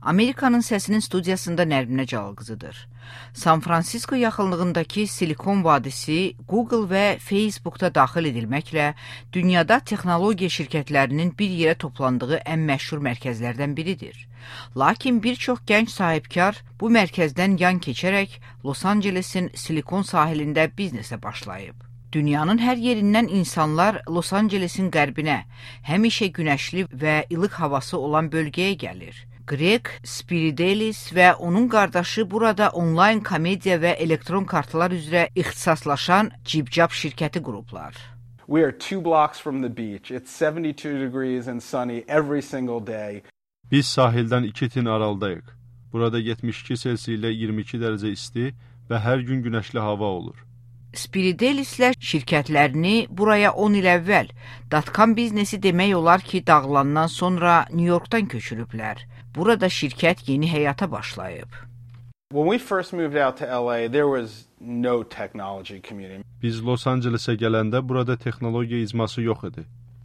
Amerikanın Səsinin studiyasında Nərminə Calqızıdır. San Francisco yaxınlığındakı Silikon Vadisi Google və Facebook'da daxil edilməklə dünyada texnologiya şirkətlərinin bir yerə toplandığı ən məşhur mərkəzlərdən biridir. Lakin bir çox gənc sahibkar bu mərkəzdən yan keçərək Los Ancelesin Silikon sahilində biznesə başlayıb. Dünyanın hər yerindən insanlar Los Ancelesin qərbinə, həmişə günəşli və ilıq havası olan bölgəyə gəlir. Greg Spiridelis və onun qardaşı burada onlayn komediya və elektron kartlar üzrə ixtisaslaşan Cibcab şirkəti qurublar. We are 2 blocks from the beach. It's 72 degrees and sunny every single day. Biz sahildən 2 tin aralıdayıq. Burada 72 Selsi ilə 22 dərəcə isti və hər gün günəşli hava olur. Spiridelislər şirkətlərini buraya 10 il əvvəl dotcom biznesi demək olar ki, dağılandan sonra New Yorkdan köçürüblər. Burada şirkət yeni həyata başlayıb. When we first moved out to LA, there was no technology community. Biz Los Ancelesə gələndə burada texnologiya icması yox idi.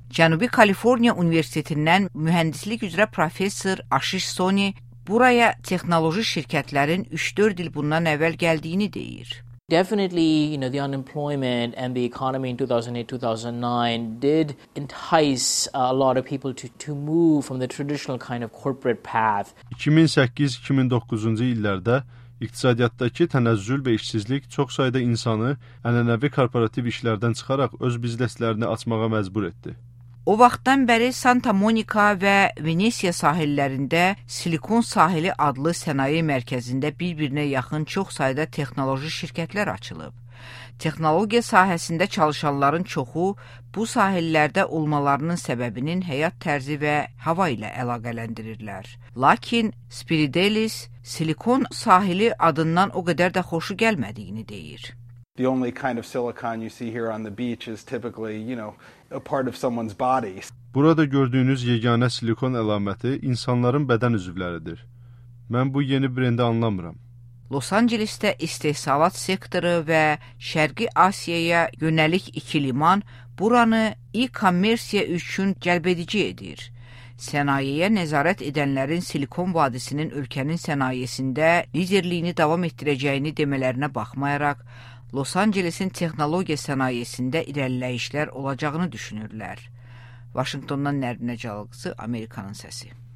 Cənubi Kaliforniya Universitetindən mühəndislik üzrə professor Ashish Soni buraya texnoloji şirkətlərin 3-4 il bundan əvvəl gəldiyini deyir. Definitely, the unemployment and the economy in 2008-2009 did entice a lot of people to move from the traditional kind of corporate path. 2008-2009-cu illərdə iqtisadiyyatdakı tənəzzül və işsizlik çox sayda insanı ənənəvi korporativ işlərdən çıxaraq öz bizneslərini açmağa məcbur etdi. O vaxtdan bəri Santa Monica və Venesiya sahillərində Silikon Sahili adlı sənaye mərkəzində bir-birinə yaxın çox sayda texnoloji şirkətlər açılıb. Texnologiya sahəsində çalışanların çoxu bu sahillərdə olmalarının səbəbinin həyat tərzi və hava ilə əlaqələndirirlər. Lakin Spiridelis Silikon Sahili adından o qədər də xoşu gəlmədiyini deyir. The only kind of silicon you see here on the beach is typically, a part of someone's body. Burada gördüyünüz yeganə silikon əlaməti insanların bədən üzvləridir. Mən bu yeni brendi anlamıram. Los Ancelesdə istehsalat sektoru və Şərqi Asiyaya yönəlik 2 liman buranı e-kommersiya üçün cəlbedici edir. Sənayeyə nəzarət edənlərin Silikon Vadisinin ölkənin sənayesində liderliyini davam etdirəcəyini demələrinə baxmayaraq, Los Ancelesin texnologiya sənayesində irəliləyişlər olacağını düşünürlər. Vaşinqtondan Nərminə Calqızı, Amerikanın Səsi.